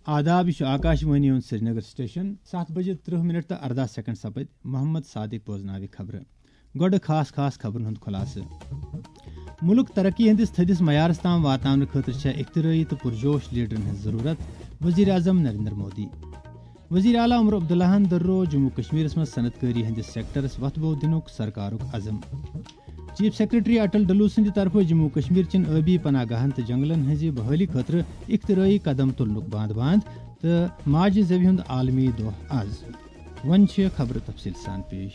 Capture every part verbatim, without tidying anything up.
آداب، یہِ چھُ آکاشوانی ہُنٛد سرینگر سٹیشن۔ ستھ بجے ترٕہ منٹ تہٕ ارداہ سیکنڈ سپدۍ۔ محمد صادق بوزناوِ خبرٕ۔ گۄڈٕ خاص خاص خبرن ہُنٛد خلاصہٕ۔ مُلک ترقی ہٕنٛدِس تھٔدِس معیارس تام واتناونہٕ خٲطرٕ چھےٚ اختراعی تہٕ پُرجوش لیڈرن ہٕنٛز ضروٗرت، وزیر اعظم نریندر مودی۔ وزیر اعلیٰ عمر عبداللہن دٔرو جموں کشمیرس منٛز صنعت کٲری ہٕنٛدِس سیکٹرس وۄتھٕ بو دِنُک سرکارُک عزم۔ چیف سیکرٹری اٹل ڈلو سٕنٛدِ طرفہٕ جموں کشمیر چٮ۪ن ٲبی پناہ گاہن تہٕ جنگلن ہٕنٛزِ بحٲلی خٲطرٕ اختراعی قدم تُلنُک باند باند تہٕ ماجہِ زٮ۪وِ ہُنٛد عالمی دۄہ از۔ وۄنۍ چھِ خبرٕ تفصیٖل سان پیش۔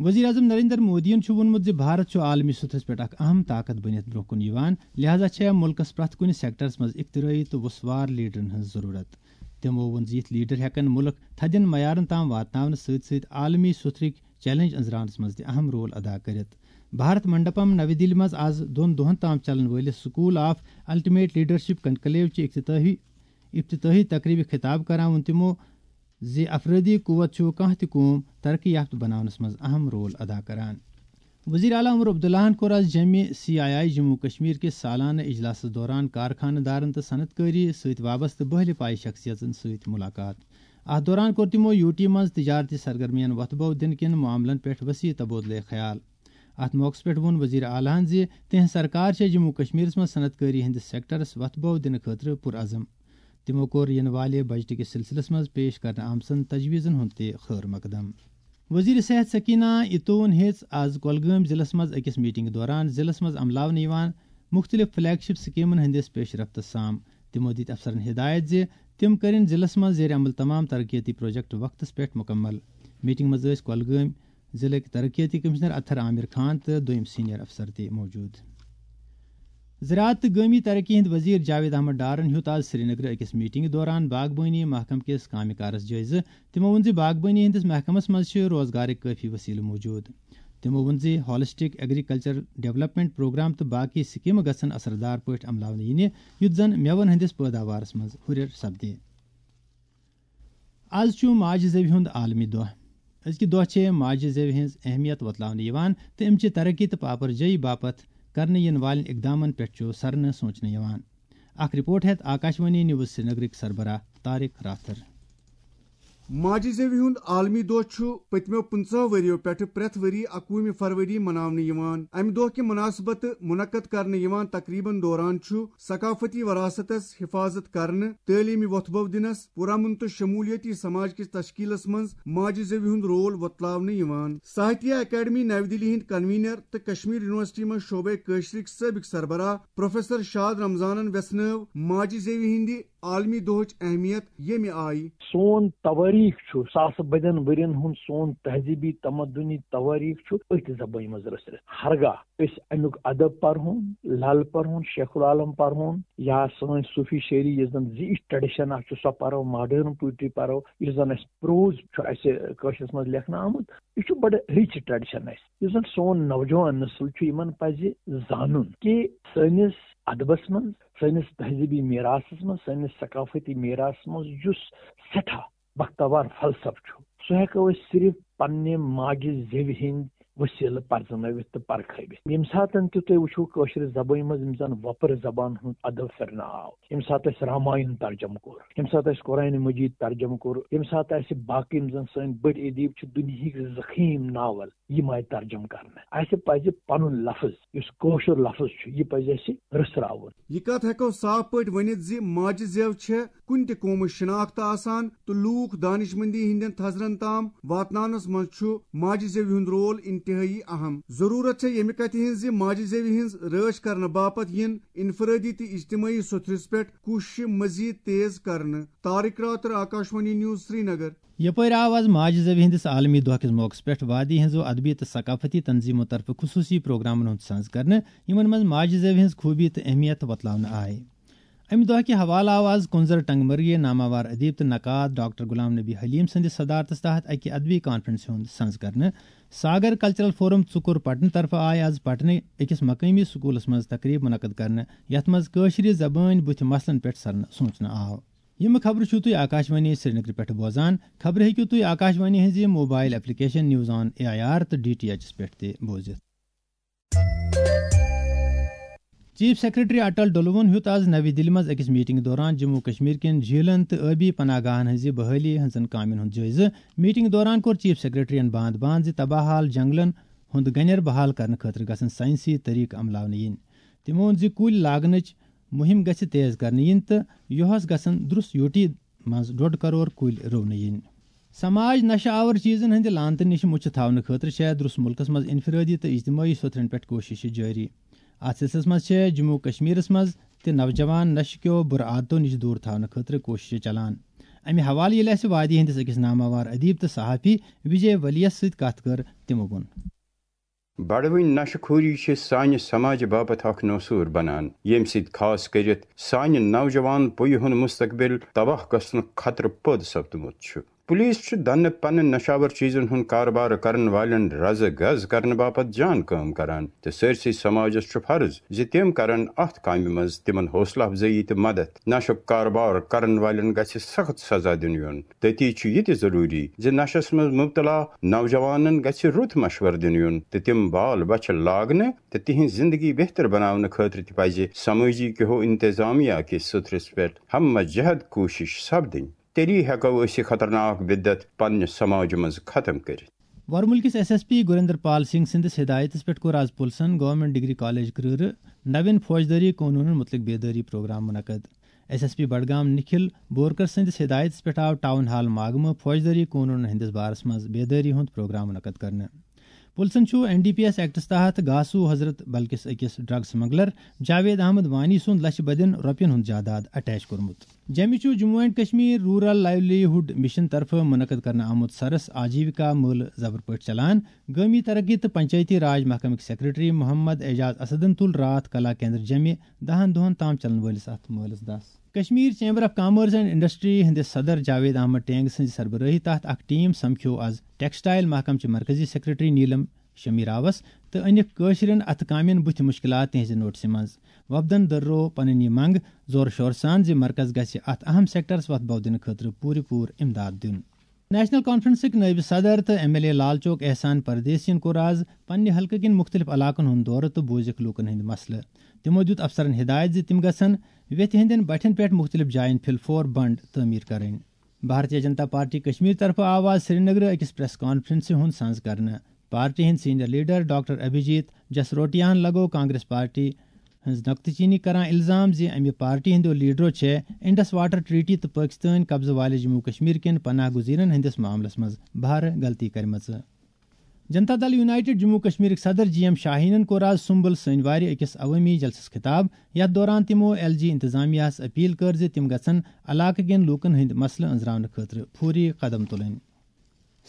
وزیر اعظم نریندر مودیَن چھُ ووٚنمُت زِ بھارت چھُ عالمی سطحس پٮ۪ٹھ اکھ اہم طاقت بٔنِتھ برٛونٛہہ کُن یِوان، لہذا چھےٚ مُلکَس پرٛٮ۪تھ کُنہِ سیکٹرس منٛز اختراعی تہٕ وُسوار لیڈرن ہٕنٛز ضروٗرت۔ تِمو ووٚن زِ یِتھۍ لیڈر ہٮ۪کَن مُلک تھدٮ۪ن معیارن تام واتناونہٕ سۭتۍ سۭتۍ عالمی سطحٕکۍ چیلنج أنٛزراونس منٛز تہِ اہم رول ادا کٔرِتھ۔ بھارت منڈپم نَوِ دِلہِ منٛز از دۄن دۄہن تام چلن وٲلِس school of ultimate leadership conclave چہِ افتتاحی افتتاحی تقریبہِ خطاب کران ووٚن تِمو زِ افرٲدی قوت چھُ کانٛہہ تہِ قوم ترقی یافتہٕ بناونس منٛز اہم رول ادا کران۔ وزیر اعلیٰ عمر عبداللہن کوٚر از جمع C I I Jammu Kashmir کِس سالانہٕ اجلاسس دوران کارخانہٕ دارن تہٕ صنعت کٲری سۭتۍ وابستہٕ بہلہِ پایہِ شخصیژن سۭتۍ ملاقات۔ اتھ دوران کوٚر تِمو یوٗ ٹی منٛز تجارتی سرگرمین وۄتھٕ بو دِنہٕ کٮ۪ن معاملن پٮ۪ٹھ وسیع تبادلہٕ خیال۔ اتھ موقعس پٮ۪ٹھ ووٚن وزیر اعلیٰ ہن زِ تِہنٛز سرکار چھےٚ جموں کشمیرس منٛز صنعت کٲری ہٕنٛدِس سیکٹرس وۄتھٕ بو دِنہٕ خٲطرٕ پُرعزم۔ تِمو کوٚر یِنہٕ والہِ بجٹہٕ کِس سلسلس منٛز پیش کرنہٕ آمژن تجویزن ہُنٛد تہِ خٲر مقدم۔ وزیر صحت سکینہ اتوون ہیٚژ از کۄلگٲمۍ ضلعس منٛز أکِس میٹنگ دوران ضلعس منٛز عملاونہٕ یِوان مُختٔلِف فلیگ شپ سکیمن ہٕنٛدِس پیش رفتس سام۔ تِمو دِتۍ افسرن ہدایت زِ تِم کٔرِن ضلعس منٛز زیر عمل تمام ترقیتی پروجیکٹ وقتس پٮ۪ٹھ مُکمل۔ میٹنگ منٛز ٲسۍ کۄلگٲمۍ ضلعٕکۍ ترقیتی کمشنر اطہر عامر خان تہٕ دوٚیِم سینئر افسر تہِ موجود۔ زراعت تہٕ گٲمی ترقی ہٕنٛدۍ وزیر جاوید احمد ڈارن ہیوٚت آز سرینگرٕ أکِس میٹنگہِ دوران باغبٲنی محکمہٕ کِس کامہِ کارس جٲیزٕ۔ تِمو ووٚن زِ باغبٲنی ہٕنٛدِس محکمس منٛز چھِ روزگارٕکۍ کٲفی وسیلہٕ موجود۔ تِمو ووٚن زِ ہالسٹک ایگریکلچر ڈیولپمنٹ پروگرام تہٕ باقی سکیمہٕ گژھن اثردار پٲٹھۍ عملاونہٕ یِنہِ، یُتھ زن مٮ۪وَن ہٕنٛدِس پٲداوارس منٛز ہُرٮ۪ر سپدِ۔ از چھُ ماجہِ زٮ۪وِ ہُنٛد عالمی دۄہ۔ أزکہِ دۄہ چھِ ماجہِ زٮ۪وِ ہٕنٛز اہمیت وۄتلاونہٕ یِوان تہٕ أمۍ چہِ ترقی تہٕ پاپر جٲیی باپتھ کرنہٕ یِنہٕ والٮ۪ن اقدامن پٮ۪ٹھ چھُ سرنہٕ سونچنہٕ یِوان۔ اکھ رپورٹ ہٮ۪تھ آکاشوانی نیوز سرینگرٕکۍ سربراہ طارق راتھر۔ ماجہِ زٮ۪وِ ہُنٛد عالمی دۄہ چھُ پٔتمیو پٕنٛژٕہو ؤرِیو پٮ۪ٹھٕ پرٛٮ۪تھ ؤری اکوُہمہِ فروری مناونہٕ یِوان۔ امہِ دۄہ کہِ مناسبتہٕ منعقد کرنہٕ یِوان تقریبن دوران چھُ ثقافتی وراثتس حفاظت کرنہٕ، تعلیمی وۄتھٕ بو دِنس، پرامن تہٕ شمولیتی سماج کِس تشکیلس منٛز ماجہِ زٮ۪وِ ہُنٛد رول وۄتلاونہٕ یِوان۔ ساہتیہ اکیڈمی نَوِ دِلی ہٕنٛدۍ کنوینر تہٕ کشمیر یونیورسٹی منٛز شعبے کٲشرِکۍ سٲبق سربراہ پروفیسر شاد رمضانن ویژھنٲو ماجہِ زٮ۪وِ ہٕنٛدِ عالمی دۄہٕچ اہمیت ییٚمہِ آیہِ۔ سون توٲریٖخ چھُ ساسہٕ بٔدٮ۪ن ؤرین ہُنٛد، سون تہذیٖبی تمدُنی توٲریٖخ چھُ أتھۍ زبٲنۍ منٛز رٔژھرِتھ۔ ہرگاہ أسۍ اَمیُک ادب پرہون، لل پرہون، شیخ العالم پرہون، یا سٲنۍ صوٗفی شٲعری یُس زن زِ یہِ ٹریڈیشن اکھ چھُ، سۄ پرو، ماڈرن پوئٹری پرو، یُس زن اَسہِ پروز چھُ اَسہِ کٲشرِس منٛز لیکھنہٕ آمُت، یہِ چھُ بڑٕ رِچ ٹریڈیشن اَسہِ۔ یُس زن سون نوجوان نسل چھُ، یِمن پزِ زانُن کہِ سٲنِس ادبس منٛز، سٲنِس تہذیٖبی میراثس منٛز، سٲنِس ثقافتی میراثس منٛز یُس سٮ۪ٹھاہ بختاوار فلسفہٕ چھُ، سُہ ہٮ۪کو أسۍ صرف پننہِ ماجہِ زٮ۪وِ ہٕنٛدۍ وسیلہٕ پرزنٲوِتھ تہٕ پرکھٲوِتھ۔ ییٚمہِ ساتن تہِ تُہۍ وٕچھِو، کٲشرِ زبٲنۍ منٛز یِم زن وۄپرٕ زبان ہُنٛد ادب پھِرنہٕ آو، ییٚمہِ ساتہٕ اَسہِ راماین ترجمہٕ کوٚر، ییٚمہِ ساتہٕ اَسہِ قرآنِ مجید ترجمہٕ کوٚر، ییٚمہِ ساتہٕ اَسہِ باقٕے یِم زن سٲنۍ بٔڑۍ ادیٖب چھِ، دُنیہٕکۍ زخیٖم ناول، یِم آیہِ ترجمہٕ کرنہٕ۔ اَسہِ پزِ پنُن لفظ، یُس کٲشُر لفظ چھُ، یہِ پزِ اَسہِ رٔژھراوُن۔ یہِ کتھ ہٮ۪کو صاف پٲٹھۍ ؤنِتھ زِ ماجہِ زٮ۪و چھےٚ کُنہِ تہِ قومٕچ شناخت آسان تہٕ لوٗکھ دانشمندی ہٕنٛدٮ۪ن تھزرن تام واتناونس منٛز چھُ ماجہِ زٮ۪وِ ہُنٛد رول انتہٲئی اہم۔ ضروٗرت چھےٚ ییٚمہِ کتھِ ہٕنٛز زِ ماجہِ زٮ۪وِ ہٕنٛز رٲچھ کرنہٕ باپتھ یِن انفرٲدی تہٕ اجتمٲعی سطحس پٮ۪ٹھ کوٗششہِ مزید تیز کرنہٕ۔ طارق راتھر، آکاشوانی نیوز، سرینگر۔ یپٲرۍ آو از ماجہِ زٮ۪وِ ہٕنٛدِس عالمی دۄہ کِس موقعس پٮ۪ٹھ وادی ہٕنٛزو ادبی تہٕ ثقافتی تنظیمو طرفہٕ خصوٗصی پروگرامن ہُنٛد سنز کرنہٕ، یِمن منٛز ماجہِ زٮ۪وِ ہٕنٛز خوٗبی تہٕ اہمیت وۄتلاونہٕ آیہِ۔ امہِ دۄہ کہِ حوالہٕ آو از کُنزر ٹنگ مرگہِ ناماوار ادیب تہٕ نقاد ڈاکٹر غلام نبی حلیم سٕنٛدِس صدارتس تحت اکہِ ادبی کانفرنسہِ ہُنٛد سنز کرنہٕ۔ ساگر کلچرل فورم ژُکُر پٹنہٕ طرفہٕ آیہِ از پٹنہٕ أکِس مقٲمی سکوٗلس منٛز تقریب منعقد کرنہٕ، یتھ منٛز کٲشرِ زبٲنۍ بُتھِ مسلن پٮ۪ٹھ سرنہٕ سونچنہٕ آو۔ یِم خبرٕ چھِو تُہۍ آکاشوانی سرینگرٕ پٮ۪ٹھ بوزان۔ خبرٕ ہیٚکِو تُہۍ آکاشوانی ہٕنٛزِ mobile application news on A I R تہٕ ڈی ٹی ایچس پٮ۪ٹھ تہِ بوٗزِتھ۔ چیف سیکرٹری اٹل ڈلوُن ہیوٚت آز نوِ دِلہِ منٛز أکِس میٹنگ دوران جموں کشمیر کٮ۪ن جھیلن تہٕ ٲبی پناہ گاہن ہٕنٛزِ بحٲلی ہٕنٛزن کامٮ۪ن ہُنٛد جٲیزٕ۔ میٹنگ دوران کوٚر چیف سیکرٹریَن باند باند زِ تباہ حال جنگلن ہُنٛد گنٮ۪ر بحال کرنہٕ خٲطرٕ گژھن ساینسی طریقہٕ عملاونہٕ یِنۍ۔ تِمو ووٚن زِ کُلۍ لاگنٕچ مُہِم گژھِ تیز کرنہٕ یِنۍ تہٕ یُہس گژھن درُس یوٗٹی منٛز ڈۄڈ کرور کُلۍ رُونہٕ یِنۍ۔ سماج نشہٕ آور چیزن ہٕنٛدِ لعنتہٕ نِش مُچھِ تھاونہٕ خٲطرٕ چھےٚ درُس مُلکس منٛز انفرٲدی تہٕ اجتمٲعی سوٚتھرن پٮ۪ٹھ کوٗششہٕ جٲری۔ اتھ سلسلس منٛز چھےٚ جموں کشمیرس منٛز تہِ نوجوان نشہٕ کیو بُرٕ عادتو نِش دوٗر تھاونہٕ خٲطرٕ کوٗششہٕ چلان۔ امہِ حوالہٕ ییٚلہِ اسہِ وادی ہٕنٛدِس أکِس ناماوار ادیب تہٕ صحافی وجے ولیس سۭتۍ کتھ کٔر، تِمو ووٚن۔ بڑوٕنۍ نشہٕ خوری چھِ سانہِ سماجہِ باپتھ اکھ نوسوٗر بنان، ییٚمہِ سۭتۍ خاص کٔرِتھ سانہِ نوجوان پُیہِ ہُنٛد مستقبل تباہ گژھنُک خطرٕ پٲدٕ سپدمُت چھُ۔ پولیس چھُ دنہٕ پنہٕ نشاور چیزن ہُنٛد کاربار کرن والٮ۪ن رزٕ گز کرنہٕ باپتھ جان کٲم کران تہٕ سٲرسٕے سماجس چھُ فرض زِ تِم کرن اتھ کامہِ منٛز تِمن حوصلہٕ افزٲیی تہٕ مدد۔ نشُک کاربار کرن والٮ۪ن گژھِ سخت سزا دِنہٕ یُن۔ تٔتی چھُ یہِ تہِ ضروٗری زِ نشس منٛز مبتلا نوجوانن گژھِ رُت مشورٕ دِنہٕ یُن تہٕ تِم بال بچھِ لاگنہٕ تہٕ تِہنٛز زندگی بہتر بناونہٕ خٲطرٕ تہِ پزِ سمٲجی کیو انتظامیہ کِس سوٚتھرس پٮ۪ٹھ ہمہ جہد کوٗشش سپدٕنۍ۔ تیٚلی ہٮ۪کو أسۍ یہِ خطرناک بدعت پننہِ سماجہِ منٛز ختم کٔرِتھ۔ ورمُلکِس S S P Gurinder Pal Singh سٕنٛدِس ہدایتس پٮ۪ٹھ کوٚر آز پُلسن گورنمنٹ ڈگری کالج کرۭرٕ نوین فوجدٲری قونوٗنن مُتعلق بیدٲری پروگرام منعقد۔ S S P Budgam Nikhil Borkar سٕنٛدِس ہدایتس پٮ۪ٹھ آو ٹاؤن ہال ماگمہٕ فوجدٲری قونوٗنن ہٕنٛدِس بارس منٛز بیدٲری ہُنٛد پروگرام منعقد کرنہٕ۔ پُلسن چھُ این ڈی پی ایس ایکٹس تحت گاسو حضرت بل کِس أکِس ڈرگ سمگلر جاوید احمد وانی سُنٛد لچھِ بدٮ۪ن رۄپین ہُنٛد جائیداد اٹیچ کوٚرمُت۔ جیٚمہِ چھُ Jammu and Kashmir rural livelihood mission طرفہٕ منعقد کرنہٕ آمُت سرس آجیوکا مٲلہٕ زبر پٲٹھۍ چلان۔ گٲمی ترقی تہٕ پنچایتی راج محکمٕکۍ سیکرٹری محمد اعجاز اسدن تُل راتھ کلا کیندر جیٚمہِ دہن دۄہن تام چلن وٲلِس اتھ مٲلس دس۔ Kashmir chamber of commerce and industry ہٕنٛدِس صدر جاوید احمد ٹینگ سٕنٛزِ سربرٲہی تحت اکھ ٹیم سمکھیو آز ٹیکسٹائل محکمہٕ چہِ مرکزی سیکرٹری نیلم شمی راوس تہٕ أنِکھ کٲشرٮ۪ن اتھٕ کامٮ۪ن بُتھِ مُشکلات تِہنٛزِ نوٹسہِ منٛز۔ وفدن دٔررو پنٕنۍ یہِ منٛگ زور شور سان زِ مرکز گژھِ اتھ اہم سیکٹرس وتھ بو دِنہٕ خٲطرٕ پوٗرٕ پوٗرٕ امداد دیُن۔ نیشنل کانفرنسٕکۍ نٲیِب صدر تہٕ M L A Lal Chowk احسان پردیسین کوٚر آز پننہِ حلقہٕ کِنۍ مُختٔلِف علاقن ہُنٛد دورٕ تہٕ بوٗزِکھ لوٗکن ہٕنٛدۍ مسلہٕ۔ تِمو دیُت افسرن ہدایت زِ تِم گژھن ویتھِ ہٕنٛدٮ۪ن بٹھٮ۪ن پٮ۪ٹھ مُختٔلِف جاین فل فور بنڈ تعمیٖر کرٕنۍ۔ بھارتیہ جنتا پارٹی کشمیر طرفہٕ آو آز سرینگرٕ أکِس پریس کانفرنسہِ ہُنٛد سنز کرنہٕ۔ پارٹی ہٕنٛدۍ سینئر لیڈر ڈاکٹر ابھیجیت جسروٹیاہن لگوو کانگریس پارٹی ہٕنٛز نقطہٕ چینی کران الزام زِ امہِ پارٹی ہٕنٛدیو لیڈرو چھےٚ انڈس واٹر ٹریٹی تہٕ پٲکستٲنۍ قبضہٕ والہِ جموں کشمیر کٮ۪ن پناہ گزیرن ہٕنٛدِس معاملس منٛز بھارٕ غلطی کرِمژٕ۔ جنتا دل یونائیٹڈ جموں کشمیرٕکۍ صدر جی ایم شاہینن کوٚر آز سُمبل سٲنۍ وارِ أکِس عوٲمی جلسس خطاب، یتھ دوران تِمو ایل جی انتظامیہ ہس اپیل کٔر زِ تِم گژھن علاقہٕ کٮ۪ن لوٗکن ہٕنٛدۍ مسلہٕ أنٛزراونہٕ خٲطرٕ فوری قدم تُلٕنۍ۔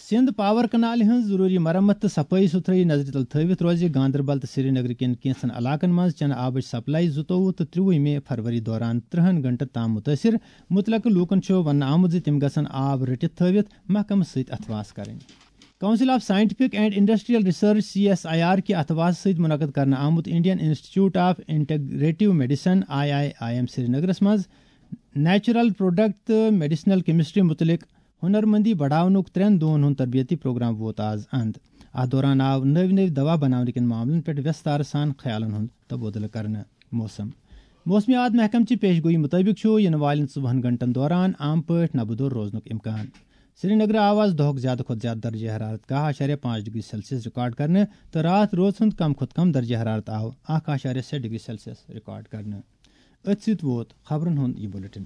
سندھ پاور کنالہِ ہٕنٛز ضروٗری مرمت تہٕ صفٲیی سُتھرٲیی نظرِ تل تھٲوِتھ روزِ گاندربل تہٕ سرینگرٕ کٮ۪ن کینٛژن علاقن منٛز چنہٕ آبٕچ سپلائی زٕتووُہ تہٕ ترٛوُہمہِ فروری دوران ترٛہن گھنٹن تام مُتٲثِر۔ مُتلقہٕ لوٗکن چھُ وننہٕ آمُت زِ تِم گژھن آب رٔٹِتھ تھٲوِتھ محکمہٕ سۭتۍ اتھواس کرٕنۍ۔ Council of scientific and industrial research, C S I R, کہِ اتھواس سۭتۍ منعقد کرنہٕ آمُت Indian institute of integrative medicine, I I I M, سرینگرس منٛز نیچرل پروڈکٹ تہٕ میڈیسنل کیمسٹری مُتعلق ہُنرمندی بڑاونُک ترٛٮ۪ن دۄہن ہُنٛد تربیتی پروگرام ووت آز اند۔ اتھ دوران آو نٔوۍ نٔوۍ دوا بناونہٕ کٮ۪ن معاملن پٮ۪ٹھ ویستار سان خیالن ہُنٛد تبادلہٕ کرنہٕ۔ موسم۔ موسمیات محکمہٕ چہِ پیش گوئی مُطٲبِق چھُ یِنہٕ والٮ۪ن ژۄوُہن گھنٹن دوران عام پٲٹھۍ نبہٕ دور روزنُک امکان۔ سرینگرٕ آو آز دۄہُک زیادٕ کھۄتہٕ زیادٕ درجہ حرارت کاہ اعشاریہ پانٛژھ ڈگری سیلسیس ریکارڈ کرنہٕ تہٕ راتھ روز ہُنٛد کم کھۄتہٕ کم درجہ حرارت آو اکھ اعشاریہ شےٚ ڈگری سیلسیس ریکارڈ کرنہٕ۔ أتھۍ سۭتۍ ووت خبرن ہُنٛد یہِ بُلٹن۔